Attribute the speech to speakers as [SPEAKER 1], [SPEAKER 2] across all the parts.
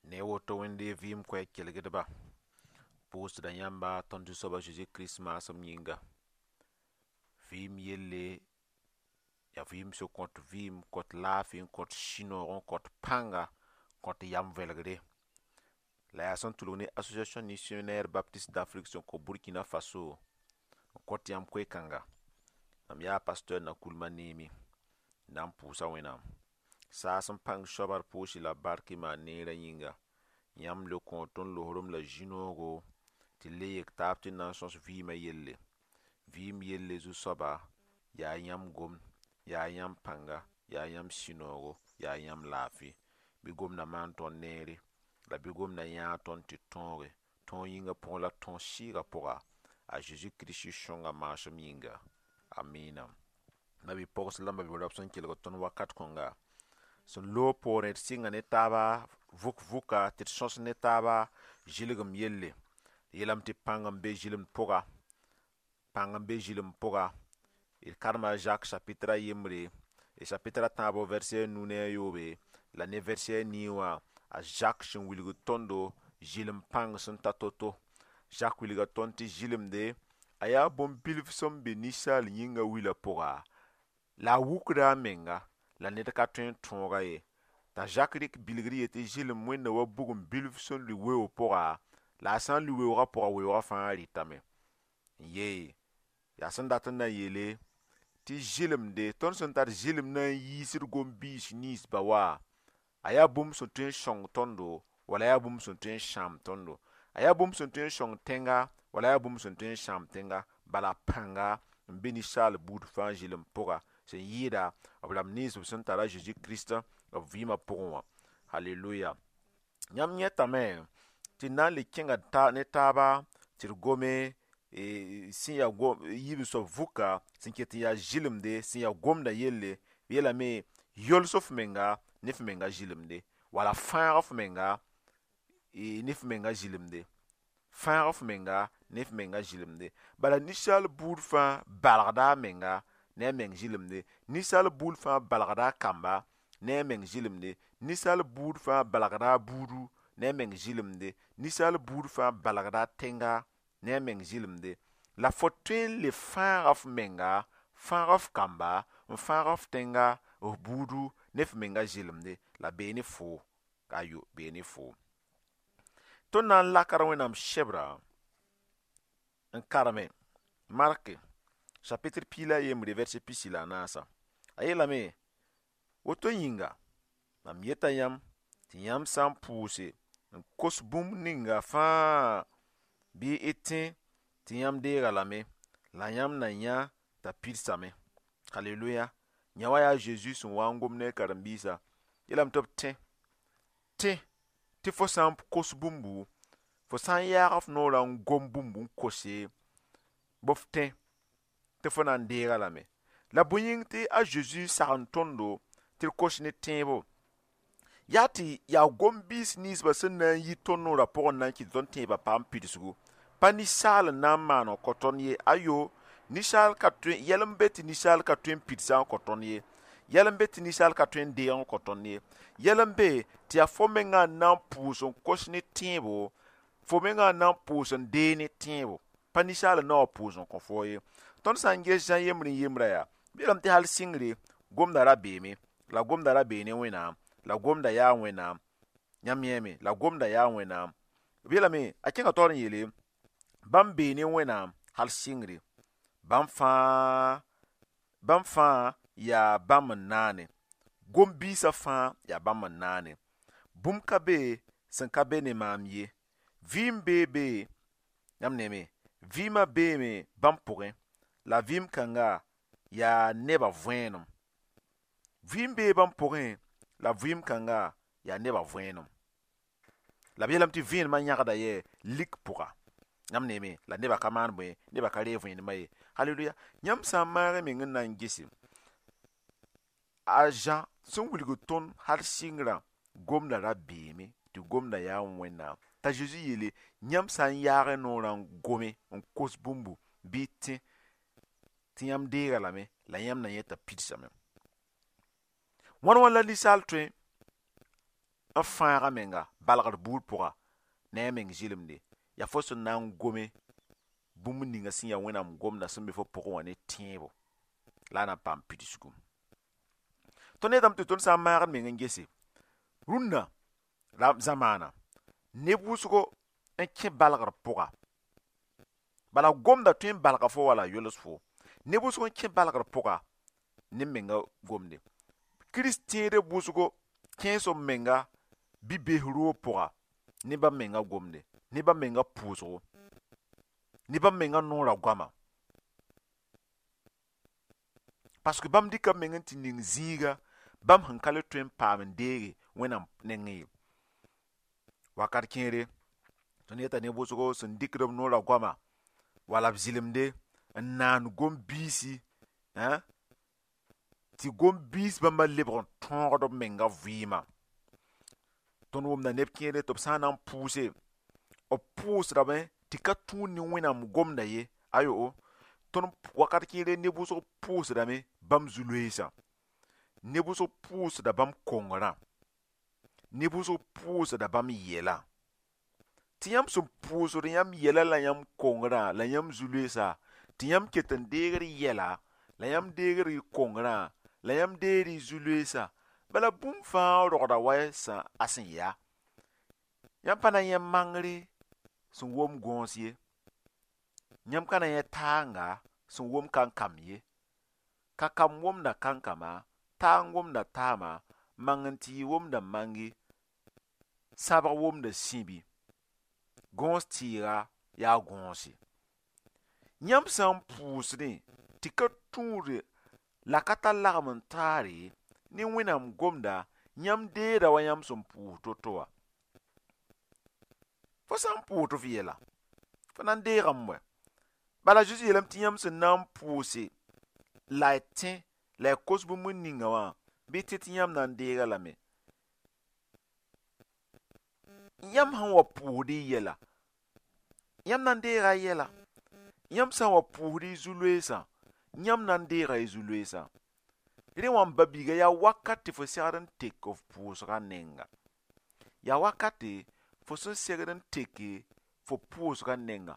[SPEAKER 1] Ne woto Wẽnde vɩɩm koɛɛg kelgdba, pʋʋsda yãmba tõnd Zu-soab a Zeezi Kirist maasem yĩnga. Vɩɩm yelle yaa vɩɩm sẽn kõt vɩɩm, kõt laafɩ, n kõt sũ-noog, n kõt pãnga, kõt yam vɛlgre. La yaa sẽn tʋlg ne Association Missionnaire Baptiste d'Afrique sẽn kõ Burkina Faso n kõt yãmb koe-kãnga. Mam yaa pasteur Nakoulma Neemi n na n pʋʋsa Wẽnnaam. Saas n pãng soaba d pʋʋs-y la bark y maan neerã yĩnga. Yãmb le kõ tõnd losrem la zĩ-noogo tɩ le yek taab tɩ na n sõs vɩɩmã yelle. Vɩɩm yelle zu-soaba yaa yãmb gomd, yaa yãmb pãnga, yaa yãmb sũ-noogo, yaa yãmb laafɩ. Bɩ gomdã maan tõnd neere, la bɩ gomdã yãag tõnd tɩ tõoge. Tõog yĩngã pʋgẽ la tõog sɩɩgã pʋga a Zeezi Kirist sõnga maasem yĩnga. Amina. Mabi-pogs la mabi-raob sẽn kelg tõnd wakat kõnga sẽn loog poorẽ d sɩnga ne taaba vʋk vʋka tɩ d sõs ne taaba zɩlgem yelle. D yeelame tɩ pãng n be zɩlemd pʋga, pãng n be zɩlemd pʋga. D karema a Jacques chapitre a yembre, d chapitre a tãabo verset a nu ne a yoobe la ne verset a nii wã, a Jacques sẽn wilgd tõndo zɩlem pãng sẽn ta to-to. Jacques wilga tõnd tɩ zɩlemde a yaa bũmb-bilf sẽn be ninsaal yĩnga wilã pʋga, la a wukda a menga, la ned ka tõe n tõoga ye. T'a Jacques rɩk bilgr yetɩ zɩlem wẽnda wa bugum bilf sẽn lʋɩ weoog pʋga, la a sã n lʋɩ weoogã pʋga, weoogã fãa rɩtame. N yee, yaa sẽn dat n na n yeele tɩ zɩlemde, tõnd sẽn tar zɩlem na n yiisd gom-biis ninsba wa, a yaa bũmb sẽn tõe n sõng tõndo wala yaa bũmb sẽn tõe n sãam tõndo. A yaa bũmb sẽn tõe n sõng tẽnga wala yaa bũmb sẽn tõe n sãam tẽnga. Bala pãnga n be ninsaal buud fãa zɩlem pʋga sẽn yɩɩda b rãmb nins b sẽn tar a Zeezi Kirist b vɩɩmã pʋgẽ wã. Haleluya. Yãmb yẽtame tɩ d na n le kẽnga ne taaba tɩ d gome sẽn yaa yiib soab vʋka sẽn ket n yaa zɩlemde, sẽn yaa gomdã yelle. B yeelame yols f menga ne f menga zɩlemde, wala fãag f menga ne f menga zɩlemde, fãag f menga ne f menga zɩlemde. Bala ninsaal buud fãa balgda a menga ne a meng zɩlemde, ninsaal buud fãa balgda a kamba ne a meng zɩlemde, ninsaal buud fãa balgda a buudu ne a meng zɩlemde, ninsaal buud fãa balgda a tẽnga ne a meng zɩlemde. La fo tõe n le fãaga f menga, fãag f kamba, n fãag f tẽnga, f buudu ne f menga zɩlemde, la bee ne foo, ayo, bee ne foo. Tõnd na n lakra Wẽnnaam sebra n kareme Mark chapitre piig la a yembre verset pisi la a naasa. A yeelame woto yĩnga, mam yeta yãmb tɩ yãmb sã n pʋʋse n kos bũmb ninga fãa bɩ y tẽ tɩ yãmb deega lame, la yãmb na yã t'a pidsame. Haleluya. Yã wa yaa Zeezi sẽn wa n gom ne a karen-biisã, yeelame tɩ b tẽ, tẽ tɩ fo sã n kos bũmbu, fo sã n yaag f noorã n gom bũmb n kose, bɩ f tẽ tɩ fo na n deega lame. La bõe yĩng tɩ a Zeezi sagend tõndo tɩ d kos ne tẽebo? Yaa tɩ yaa gom-biis ninsbã sẽn na n yi tõnd noorã pʋgẽ n na n kɩt tõnd tẽebã paam pidsgu. Pa ninsaal n na n maan n kõ tõnd ye. Ayo, ninsaal ka tõe, yɛl n be tɩ ninsaal ka tõe n pidsã n kõ tõnd ye. Yɛl n be tɩ ninsaal ka tõe n deeg n kõ tõnd ye. Yɛl n be tɩ yaa fo mengã n na n pʋʋs n kos ne tẽebo, fo mengã n na n pʋʋs n deeg ne tẽebo. Pa ninsaal n na wa pʋʋs n kõ fo ye. Tõnd sã n ges Zã yembr n yembra yaa, b yeelame tɩ hal sɩngre gomda ra beeme, la gomda ra bee ne Wẽnnaam, la gomda yaa Wẽnnaam. Yãmb yẽeme, la gomda yaa Wẽnnaam. B yeelame a kẽnga taoor n yeele bãmb bee ne Wẽnnaam hal sɩngre, bãmb fãa yaa bãmb n naane. Gom-biisã fãa yaa bãmb n naane. Bũmb ka be sẽn ka be ne maam ye. Vɩɩm bee be, yãmb neeme, vɩɩmã beeme bãmb pʋgẽ, la vɩɩm kãnga yaa nebã võenem. Vɩɩm bee bãmb pʋgẽ, la vɩɩm kãnga yaa nebã võenem. La b yeelame tɩ vẽenemã yãgda yɛ lik pʋga. Yãmb neeme, la nebã ka maan bõe, nebã ka reeg vẽenemã ye. Haleluya. Yãmb sã n maag y meng n na n gese, a Zã sẽn wilg tõnd hal sɩngrã gomda ra beeme, tɩ gomda yaa Wẽnnaam. T'a Zeezi yeele, yãmb sã n yaag y noorã n gome, n kos bũmbu bɩ y tẽ tɩ yãmb deega lame, la yãmb na yẽ t'a pidsame. Wãn wãn la ninsaal tõe n fãag a menga balgr buud pʋga ne a meng zɩlemde yaa fo sẽn na n gome bũmb ninga sẽn yaa Wẽnnaam gomda sẽn be fo pʋgẽ wã ne tẽebo la a na n paam pidsgu. Tõnd yetame tɩ tõnd sã n maagd meng n gese rũnnã zamaana neb wʋsgo n kẽ balgr pʋga bala gomda tõe n balga fo wala yols fo neb wʋsg n kẽ balgr pʋga ne menga gomde Kirist tẽedb wʋsgo kẽes b menga bi-bees roog pʋga ne bãmb menga gomde ne bãmb menga pʋʋsgo ne bãmb menga noorã goama parce que bãmb dɩka b meng n tɩ ning zĩiga bãmb sẽn ka le tõe n paam n deege Wẽnnaam nengẽ ye. Wakat kẽere tõnd yeta neb wʋsgo sẽn dɩkd b noorã goama wala b zɩlemde n naan gom-biisi tɩ gom-biis bãmba lebg n tõogd b menga vɩɩmã. Tõnd wʋmda neb kẽere tɩ b sã n na n pʋʋse b pʋʋsdame tɩ ka tũud ne Wẽnnaam gomda ye ayo tõnd wakat kẽere neb wʋsg pʋʋsdame bãmb zu-loeesã neb wʋsg pʋʋsda bãmb kongrã neb wʋsg pʋʋsda bãmb yɛla tɩ yãmb sẽn pʋʋsd yãmb yɛla la yãmb kongrã la yãmb zu-loeesã tɩ yãmb ket n deegd yɛla la yãmb deegd y kongrã la yãmb deegd y zu-loeesã bala bũmb fãa rogda wa a sẽn yaa yãmb pa na n yẽ mangre sẽn wom gõos ye yãmb ka na yẽ taanga sẽn wom kankam ye ka kam womda kankama taang womda taama mang n tɩ womda mangi sãbg womda sĩbi gõos tɩɩga yaa gõose yãmb sã n pʋʋsdẽ tɩ ka tũud la ka tar lagem n taare ne Wẽnnaam gomda yãmb deeda wa yãmb sẽn pʋʋs to-to wã fo sã n pʋʋs tɩ f yɛla fo na n deegame wɛ bala Zeezi yeelame tɩ yãmb sẽn na n pʋʋse la y tẽ la y kos bũmb ninga wã bɩ tɩ tɩ yãmb na n deega lame yãmb sẽn wa pʋʋsd y yɛla yãmb na n deega y yɛla yãmb sã n wa pʋʋsd y zu-loeesã yãmb na n deega y zu-loeesã rẽ wã n ba-biiga yaa wakat tɩ fo segd n tek f pʋʋsgã nenga yaa wakate fo sẽn segd n teke fo pʋʋsgã nenga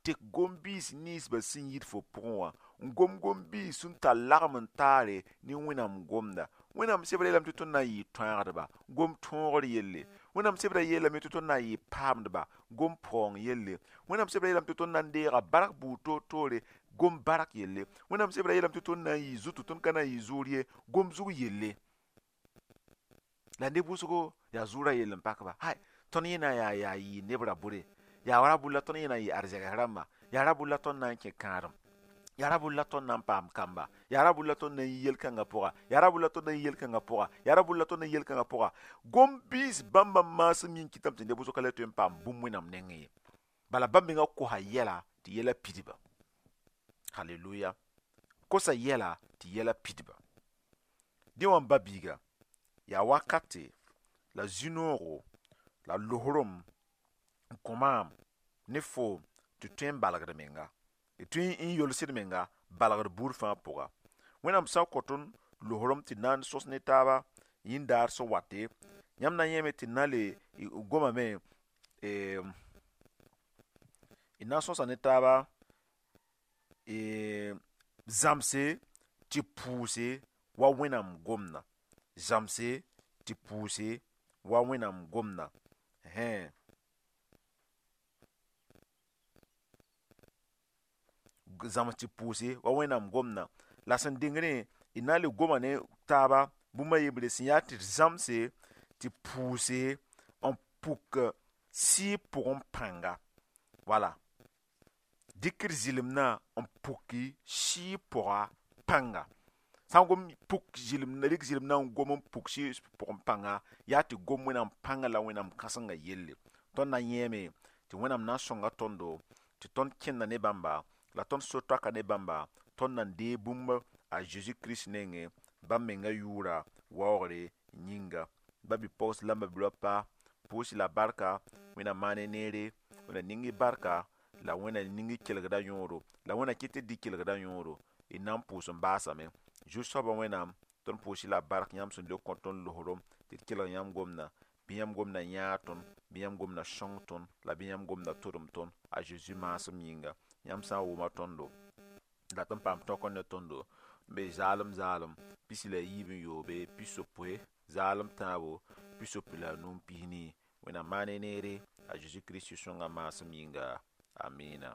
[SPEAKER 1] tek gom-biis ninsbã sẽn yit fo pʋgẽ wã n gom gom-biis sẽn tar lagem n taare ne Wẽnnaam gomda Wẽnnaam sebra yeelame tɩ tõnd na n yɩ tõagdba gom tõogr yelle Wẽnnaam sebra yeelame tɩ tõnd na n yɩ paamdba gom paoong yelle Wẽnnaam sebra yeelame tɩ tõnd na n deega bark buud toor-toore gom bark yelle Wẽnnaam sebra yeelame tɩ tõnd na n yɩ zutu tõnd ka na n yɩ zʋʋr ye gom zug yelle la neb wʋsgo yaa zʋʋrã yell n pak ba hay tõnd yẽ na n yaa yɩ neb ra bʋre yaa ra bʋ la tõnd yẽ na n yɩ arzegs rãmba yaa ra bʋ la tõnd na n kẽ kãadem yaa ra bʋ la tõnd na n paam kamba yaa ra bʋ la tõnd na n yi yel-kãngã pʋga yaa ra bʋ la tõnd na n yi yel-kãngã pʋga yaa ra bʋ la tõnd na n yi yel-kãngã pʋga gom-biis bãmba maasem yĩng kɩtame tɩ neb wʋsg ka le tõe n paam bũmb Wẽnnaam nengẽ ye bala bãmb menga kosa yɛla tɩ yɛla pidba haleluya kosa yɛla tɩ yɛla pidba dẽ wã n ba-biiga yaa wakate la zĩ-noogo la losrem n kõ maam ne foom tɩ tõe n balgd menga tɩ n yolsd menga balgd buud fãa pʋga Wẽnnaam sã n kõ tõnd losrem tɩ na n sõs ne taaba yĩn-daar sẽn wate yãmb na n yẽeme tɩ na le gomame d na n sõsa ne taaba zãmse tɩ pʋʋse wa Wẽnnaam gomda zãmse tɩ pʋʋse wa Wẽnnaam gomda zãms tɩ pʋʋse wa Wẽnnaam gomda la sẽn dengdẽ d na n le goma ne taaba bũmb a yembre sẽn yaa tɩ d zãmse tɩ pʋʋse n puk sɩɩg pʋgẽ pãnga wala dɩk d zɩlemdã n puki sɩɩg pʋga pãnga sã n gom puk zɩlem rɩk zɩlemdã n gom n puk sɩɩg pʋgẽ pãnga yaa tɩ gom Wẽnnaam pãnga la Wẽnnaam kãsengã yelle tõnd na n yẽeme tɩ Wẽnnaam na n sõnga tõndo tɩ tõnd kẽnda ne bãmba la tõnd so-toaka ne bãmba tõnd na n deeg bũmb a Zeezi Kirist nengẽ bãmb menga yʋʋra waoogre yĩnga ba bi-pogs la ba bi-raopa pʋʋs la barka Wẽnnaam maane neere Wẽnnaam ning y barka la Wẽnnaam ning y kelgda yõodo la Wẽnnaam kɩt tɩ dɩ kelgda yõodo d na n pʋʋs n baasame Zu-soabã Wẽnnaam tõnd pʋʋs-y la bark yãmb sẽn le kõ tõnd losrem tɩ d kelg yãmb gomdã Bɩ yãmb gomdã yãag tõnd, bɩ yãmb gomdã sõng tõnd, la bɩ yãmb gomdã todem tõnd a Zeezi maasem yĩnga. Yãmb sã n wʋma tõndo dat n paam tõk ne tõndo n be zaalem zaalem 13 60 zaalem tãabo 65 14. Wẽnnaam maan ne neere a Zeezi Kirist sõnga maasem yĩnga. Amina.